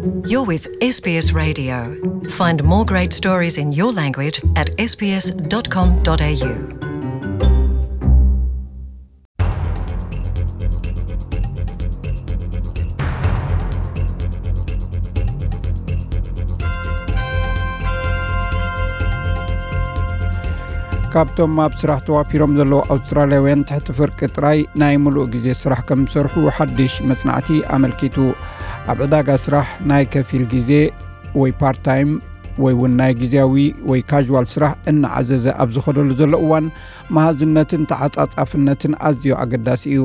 You're with S B S Radio. Find more great stories in your language at S B S dot com dot A U. ካብቶም ኣብ ስራሕ ተዋፊሮም ዘለዉ ኣውስትራልያውያን ትሕቲ ፍርቂ ጥራይ ናይ ምሉእ ግዜ ስራሕ ከም ዝሰርሑ ሓድሽ መጽናዕቲ ኣመልኪቱ። ኣብ ዕዳጋ ስራሕ ናይ ከፊል ግዜ ወይ ፓርት ታይም ወይ እውን ናይ ግዜያዊ ወይ ካዥዋል ስራሕ እናዓዘዘ ኣብ ዝኸደሉ ዘሎ እዋን፣ መሃዝነትን ተዓጻጻፍነትን ኣዝዩ ኣገዳሲ እዩ።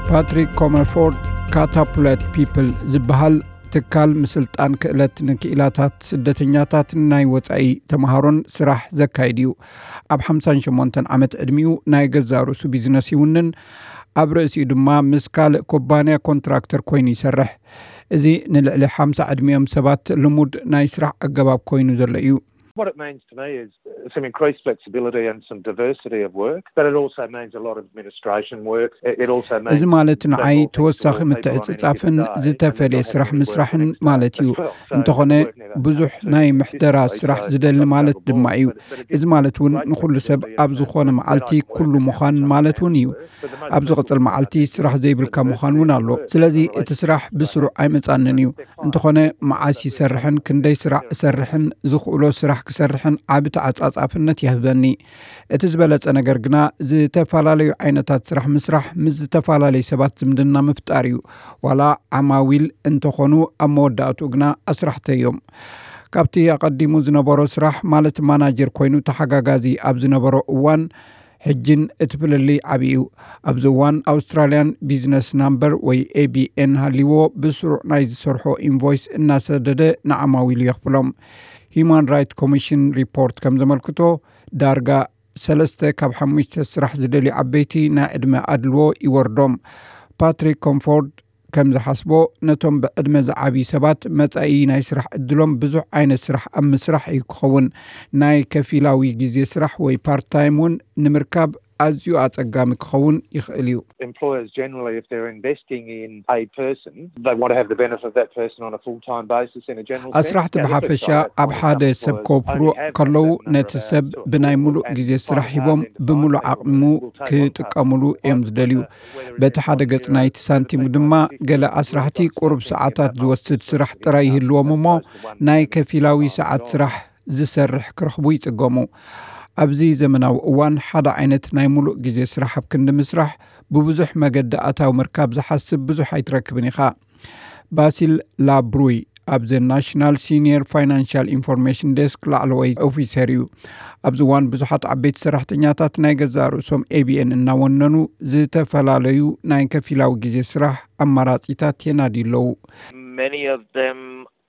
ፓትሪክ ኮመርፎርድ ካታፑለት ፒፕል ዝበሃል ትካል ምስልጣን ክእለት ንክኢላታት ስደተኛታትን ናይ ወጻኢ ተምሃሮን ስራሕ ዘካይድ እዩ። ኣብ ሓምሳን ሸሞንተን ዓመት ዕድሚኡ ናይ ገዛእ ርእሱ ቢዝነስ ይውንን። ኣብ ርእሲኡ ድማ ምስ ካልእ ኩባንያ ኮንትራክተር ኮይኑ ይሰርሕ። እዚ ንልዕሊ ሓምሳ ዕድሚኦም ሰባት ልሙድ ናይ ስራሕ ኣገባብ ኮይኑ ዘሎ እዩ። What it means to me is some increased flexibility and some diversity of work, but it also means a lot of administration work. It also means እዚ ማለት ንዓይ ተወሳኺ ምትዕጽጻፍን ዝተፈለየ ስራሕ ምስራሕን ማለት እዩ። እንተኾነ ብዙሕ ናይ ምሕደራ ስራሕ ዝደሊ ማለት ድማ እዩ። እዚ ማለት እውን ንኹሉ ሰብ ኣብ ዝኾነ መዓልቲ ኩሉ ምዃን ማለት እውን እዩ። ኣብ ዝቕጽል መዓልቲ ስራሕ ዘይብልካ ምዃን እውን ኣሎ። ስለዚ እቲ ስራሕ ብስሩዕ ኣይመጻንን እዩ። እንተኾነ መዓስ ይሰርሕን ክንደይ ስራሕ እሰርሕን ዝኽእሎ ስራሕ ክሰርሕን ዓቢ ተዓጻጻፍነት ይህበኒ። እቲ ዝበለጸ ነገር ግና ዝተፈላለዩ ዓይነታት ስራሕ ምስራሕ ምስ ዝተፈላለዩ ሰባት ዝምድና ምፍጣር እዩ። ዋላ ዓማዊል እንተኾኑ ኣብ መወዳእትኡ ግና ኣስራሕቲ እዮም። ካብቲ ኣቐዲሙ ዝነበሮ ስራሕ ማለት ማናጀር ኮይኑ ተሓጋጋዚ ኣብ ዝነበሮ እዋን ሕጅን እቲ ፍልልይ ዓቢ እዩ። ኣብዚ እዋን ኣውስትራልያን ቢዝነስ ናምበር ወይ ኤ ቢ ኤን ሃልይዎ ብስሩዕ ናይ ዝሰርሖ ኢንቮይስ እናሰደደ ንዓማዊሉ የኽፍሎም። ሂዩማን ራይት ኮሚሽን ሪፖርት ከም ዘመልክቶ ዳርጋ ሰለስተ ካብ ሓሙሽተ ስራሕ ዝደልዩ ዓበይቲ ናይ ዕድመ ኣድልዎ ይወርዶም። ፓትሪክ ኮምፎርድ ከም ዝሓስቦ ነቶም ብዕድመ ዝዓብዩ ሰባት መጻኢ ናይ ስራሕ ዕድሎም ብዙሕ ዓይነት ስራሕ ኣብ ምስራሕ እዩ ክኸውን። ናይ ከፊላዊ ግዜ ስራሕ ወይ ፓርት ታይም እውን ንምርካብ ኣዝዩ ኣጸጋሚ ክኸውን ይኽእል እዩ። Employers generally, if they're investing in a person, they want to have the benefit of that person on a full-time basis in a general sense. ኣስራሕቲ ብሓፈሻ ኣብ ሓደ ሰብ ከወፍሩ ከለዉ ነቲ ሰብ ብናይ ምሉእ ግዜ ስራሕ ሂቦም ብምሉእ ዓቕሙ ክጥቀምሉ እዮም ዝደልዩ። በቲ ሓደ ገጽ ናይቲ ሳንቲም ድማ ገለ ኣስራሕቲ ቁሩብ ሰዓታት ዝወስድ ስራሕ ጥራይ ይህልዎም እሞ ናይ ከፊላዊ ሰዓት ስራሕ ዝሰርሕ ክረኽቡ ይጽገሙ። ኣብዚ ዘመናዊ እዋን ሓደ ዓይነት ናይ ምሉእ ግዜ ስራሕ ኣብ ክንዲ ምስራሕ ብብዙሕ መገዲ ኣታዊ ምርካብ ዝሓስብ ብዙሕ ኣይትረክብን ኢኻ። ባሲል ላብሩይ ኣብዚ ናሽናል ሲኒየር ፋይናንሻል ኢንፎርሜሽን ዴስክ ላዕለዋይ ኦፊሰር እዩ። ኣብዚ እዋን ብዙሓት ዓበይቲ ሰራሕተኛታት ናይ ገዛእ ርእሶም ኤ ቢ ኤን እናወነኑ ዝተፈላለዩ ናይ ከፊላዊ ግዜ ስራሕ ኣማራጺታት የናድዩ ኣለዉ። Many of them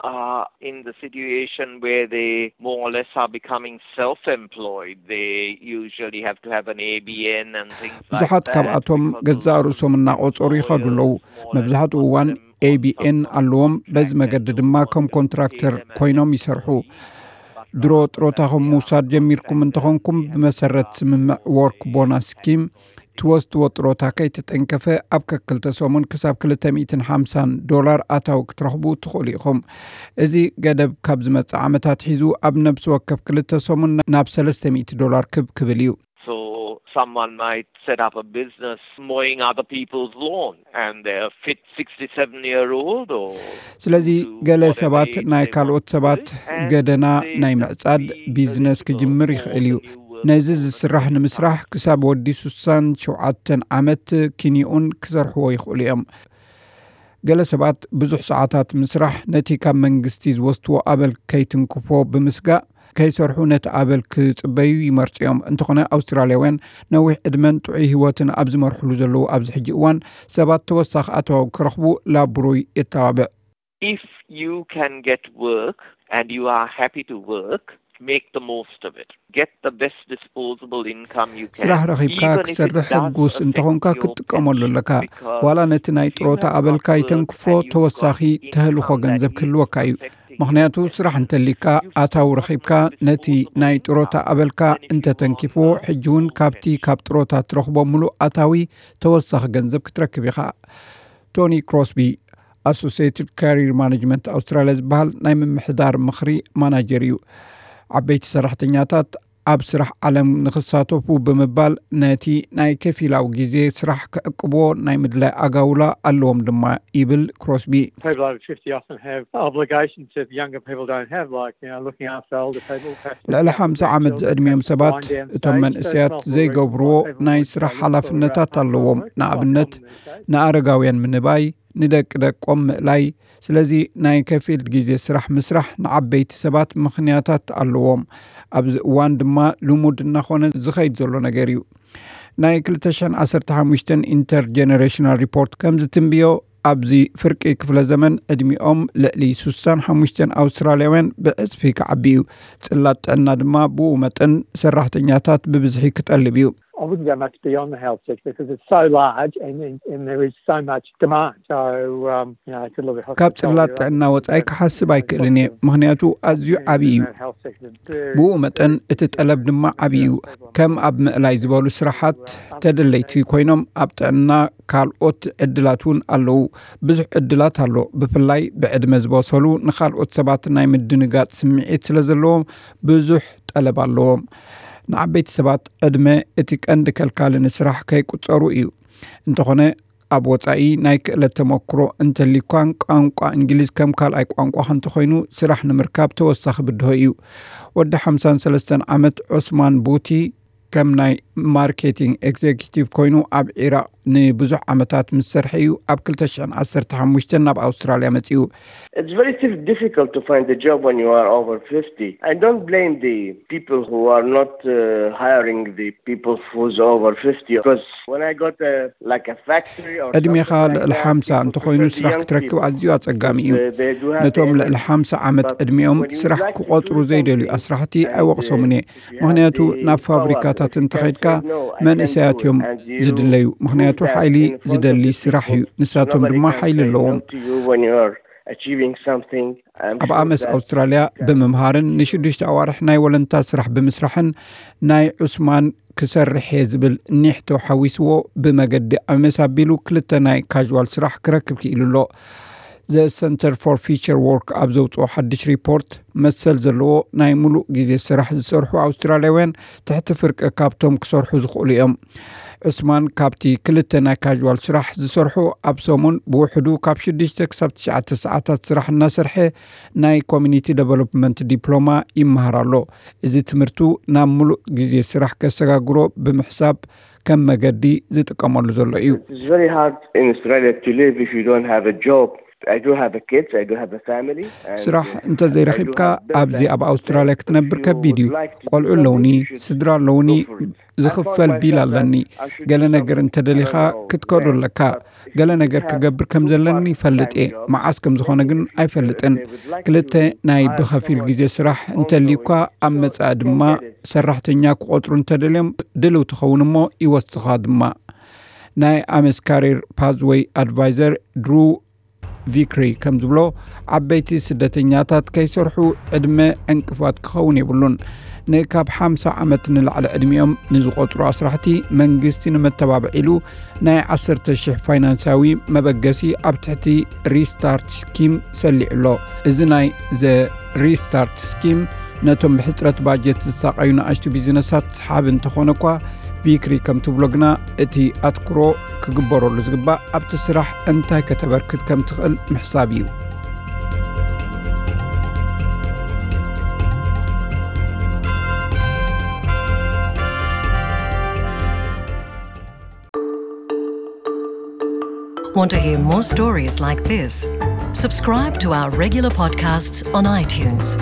are in the situation where they more or less are becoming self-employed. They usually have to have an A B N and things like ብዙሓት that ካብኣቶም because ገዛእ ርእሶም እናቆጸሩ ይኸዱ ኣለዉ። መብዛሕትኡ እዋን ኤ ቢ ኤን ኣለዎም። በዚ መገዲ ድማ ከም ኮንትራክተር ኮይኖም ይሰርሑ። ድሮ ጥሮታኹም ምውሳድ ጀሚርኩም እንተኾንኩም ብመሰረት ስምምዕ ወርክ ቦናስ ስኪም ትወስድዎ ጥሮታ ከይተጠንከፈ ኣብ ከክልተ ሰሙን ክሳብ ክልተ ሚእትን ሓምሳን ዶላር ኣታዊ ክትረኽቡ ትኽእሉ ኢኹም። እዚ ገደብ ካብ ዝመጽእ ዓመታት ሒዙ ኣብ ነብሲ ወከፍ ክልተ ሰሙን ናብ ሰለስተ ሚእቲ ዶላር ክብ ክብል እዩ። So someone might set up a business mowing other people's lawn and they're fit sixty-seven year old or ስለዚ ገለ ሰባት ናይ ካልኦት ሰባት ገደና ናይ ምዕጻድ ቢዝነስ ክጅምር ይኽእል እዩ። ነዚ ዝስራሕ ንምስራሕ ክሳብ ወዲ ስሳን ሸውዓተን ዓመት ኪኒኡን ክሰርሕዎ ይኽእሉ እዮም። ገለ ሰባት ብዙሕ ሰዓታት ምስራሕ ነቲ ካብ መንግስቲ ዝወስድዎ ኣበል ከይትንክፎ ብምስጋእ ከይሰርሑ ነቲ ኣበል ክጽበዩ ይመርጹ እዮም። እንተኾነ ኣውስትራልያውያን ነዊሕ ዕድመን ጥዑይ ህይወትን ኣብ ዝመርሕሉ ዘለዉ ኣብዚ ሕጂ እዋን ሰባት ተወሳኺ ኣታዊ ክረኽቡ ላብሩይ የተባብዕ። If you can get work and you are happy to work, make the most of it. Get the best disposable income you can. ስራሕ ረኺብካ ክሰርሕ ሕጉስ እንተኾንካ ክትጥቀመሉ ኣለካ። ዋላ ነቲ ናይ ጥሮታ ኣበልካ ይተንክፎ ተወሳኺ ተህልኾ ገንዘብ ክህልወካ እዩ። ምኽንያቱ ስራሕ እንተሊካ ኣታዊ ረኺብካ ነቲ ናይ ጥሮታ ኣበልካ እንተተንኪፍዎ ሕጂ እውን ካብቲ ካብ ጥሮታ ትረኽቦ ምሉእ ኣታዊ ተወሳኺ ገንዘብ ክትረክብ ኢኻ። ቶኒ ክሮስቢ ኣሶሲየትድ ካሪር ማኔጅመንት ኣውስትራልያ ዝበሃል ናይ ምምሕዳር ምኽሪ ማናጀር እዩ። ዓበይቲ ሰራሕተኛታት ኣብ ስራሕ ዓለም ንኽሳተፉ ብምባል ነቲ ናይ ከፊላዊ ግዜ ስራሕ ክዕቅብዎ ናይ ምድላይ ኣጋውላ ኣለዎም ድማ ይብል ክሮስቢ። People over fifty often have obligations that younger people don't have, like, you know, looking after older people. ልዕሊ ሓምሳ ዓመት ዝዕድሚኦም ሰባት እቶም መንእሰያት ዘይገብርዎ ናይ ስራሕ ሓላፍነታት ኣለዎም። ንኣብነት ንኣረጋውያን ምንባይ፣ ንደቂ ደቆም ምእላይ። ስለዚ ናይ ከፊል ግዜ ስራሕ ምስራሕ ንዓበይቲ ሰባት ምኽንያታት ኣለዎም። ኣብዚ እዋን ድማ ልሙድ እናኾነ ዝኸይድ ዘሎ ነገር እዩ። ናይ ክልተ ሽሕን ዓሰርተ ሓሙሽተን ኢንተርጀነሬሽናል ሪፖርት ከም ዝትንብዮ፣ ኣብዚ ፍርቂ ክፍለ ዘመን ዕድሚኦም ልዕሊ ስሳን ሓሙሽተን ኣውስትራልያውያን ብዕፅፊ ክዓቢ እዩ። ጽላት ጥዕና ድማ ብኡ መጠን ሰራሕተኛታት ብብዝሒ ክጠልብ እዩ። I wouldn't go much beyond the health sector because it's so large and, and, and there is so much demand. So, um, you know, I could look at ካብ ጽላት ጥዕና ወጻኢ ክሓስብ ኣይክእልን እየ፣ ምኽንያቱ ኣዝዩ ዓብዪ እዩ። ብኡ መጠን እቲ ጠለብ ድማ ዓብዪ እዩ። ከም ኣብ ምእላይ ዝበሉ ስራሓት ተደለይቲ ኮይኖም፣ ኣብ ጥዕና ካልኦት ዕድላት እውን ኣለዉ። ብዙሕ ዕድላት ኣሎ። ብፍላይ ብዕድመ ዝበሰሉ፣ ንኻልኦት ሰባት ናይ ምድንጋጽ ስምዒት ስለ ዘለዎም ብዙሕ ጠለብ ኣለዎም። ንዓበይቲ ሰባት ዕድመ እቲ ቀንዲ ከልካሊ ንስራሕ ከይቁጸሩ እዩ። እንተኾነ ኣብ ወጻኢ ናይ ክእለት ተመክሮ እንተሊኳን ቋንቋ እንግሊዝ ከም ካልኣይ ቋንቋ እንተኾይኑ ስራሕ ንምርካብ ተወሳኺ ብድሆ እዩ። ወዲ ሓምሳን ሰለስተን ዓመት ዑስማን ቡቲ ከም ናይ ማርኬቲንግ ኤግዜኪቲቭ ኮይኑ ኣብ ኢራቅ ንብዙሕ ዓመታት ምስ ሰርሐ እዩ ኣብ ክልተ ሽሕን ዓሰርተ ሓሙሽተን ናብ ኣውስትራልያ መጺኡ። It's very dif- difficult to find a job when you are over fifty. I don't blame the people who are not uh, hiring the people who's over fifty because when I got a like a factory or ዕድሜኻ something like ልዕሊ that, ሓምሳ people እንተኾይኑ prefer the ስራሕ young ክትረክብ people. ኣዝዩ ኣጸጋሚ እዩ። Uh, they do have the ነቶም ልዕሊ energy. ሓምሳ ዓመት But ዕድሚኦም when you ስራሕ would like to ክቆጽሩ do ዘይደልዩ something ኣስራሕቲ and, uh, ኣይወቕሶምን እየ። if you have ምኽንያቱ the ናብ power, ፋብሪካታት you can እንተኸድካ say, "No, I can't do መእሰያት it." እዮም And you ዝድለዩ። prove ምኽንያቱ that ሓይሊ in front of ዝደሊ the ስራሕ እዩ። people. ንሳቶም Nobody ድማ can ሓይሊ say no ኣለዎም። To you when you are achieving something. I'm ኣብ sure ኣመስ that ኣውስትራልያ ብምምሃርን ንሽዱሽተ ኣዋርሕ ናይ ወለንታ ስራሕ ብምስራሕን ናይ ዑስማን ክሰርሕ እየ ዝብል ኒሕቶ ሓዊስዎ ብመገዲ ኣመስ ኣቢሉ ክልተ ናይ ካዥዋል ስራሕ ክረክብ ክኢሉ ኣሎ። ዘ ሰንተር ፎር ፊቸር ወርክ ኣብ ዘውፅኦ ሓድሽ ሪፖርት፣ መሰል ዘለዎ ናይ ሙሉእ ግዜ ስራሕ ዝሰርሑ ኣውስትራልያውያን ትሕቲ ፍርቂ ካብቶም ክሰርሑ ዝኽእሉ እዮም። ዑስማን ካብቲ ክልተ ናይ ካዥዋል ስራሕ ዝሰርሑ ኣብ ሰሙን ብውሕዱ ካብ ሽዱሽተ ክሳብ ትሽዓተ ሰዓታት ስራሕ እናሰርሐ ናይ ኮሚኒቲ ደቨሎፕመንት ዲፕሎማ ይመሃር ኣሎ። እዚ ትምህርቱ ናብ ሙሉእ ግዜ ስራሕ ከሰጋግሮ ብምሕሳብ ከም መገዲ ዝጥቀመሉ ዘሎ እዩ። It's very hard in Australia to live if you don't have a job. I do have a kids, I do have a family. And, ስራሕ uh, እንተዘይረኺብካ I do have bills ኣብዚ I have ኣብ to ኣውስትራልያ pay. So ክትነብር if you ከቢድ እዩ። would like to do ቆልዑ something, ኣለውኒ፣ you should ስድራ go ኣለውኒ፣ for it. I ዝኽፈል found ቢል myself ኣለኒ። that I should ገለ do ነገር something. እንተደሊኻ I don't know. ክትከዶ ኣለካ። ገለ ነገር ክገብር ከም ዘለኒ ይፈልጥ እየ። መዓስ ከም ዝኾነ ግን ኣይፈልጥን። ክልተ ናይ ብኸፊል ግዜ ስራሕ እንተልዩካ፣ ኣብ መጻኢ ድማ ሰራሕተኛ ክቆጽሩ እንተደልዮም ድልው ትኸውን እሞ ይወስኻ ድማ። ናይ ኣመስ ካሪር ፓዝወይ ኣድቫይዘር ድሩ ቪክሪ ከም ዝብሎ፣ ዓበይቲ ስደተኛታት ከይሰርሑ ዕድመ ዕንቅፋት ክኸውን የብሉን። ንካብ ሓምሳ ዓመት ንላዕሊ ዕድሚኦም ንዝቆጽሩ ኣስራሕቲ መንግስቲ ንመተባብዒ ኢሉ ናይ ዓሰርተ ሽሕ ፋይናንሳዊ መበገሲ ኣብ ትሕቲ ሪስታርት ስኪም ሰሊዑ ኣሎ። እዚ ናይ ዘ ሪስታርት ስኪም ነቶም ብሕፅረት ባጀት ዝሳቐዩ ንኣሽቱ ቢዝነሳት ሰሓቢ እንተኾነ እኳ፣ ቪክሪ ከም ትብሎ ግና እቲ ኣትኩሮ ክግበረሉ ዝግባእ ኣብቲ ስራሕ እንታይ ከተበርክት ከም ትኽእል ምሕሳብ እዩ። Want to hear more stories like this? Subscribe to our regular podcasts on iTunes.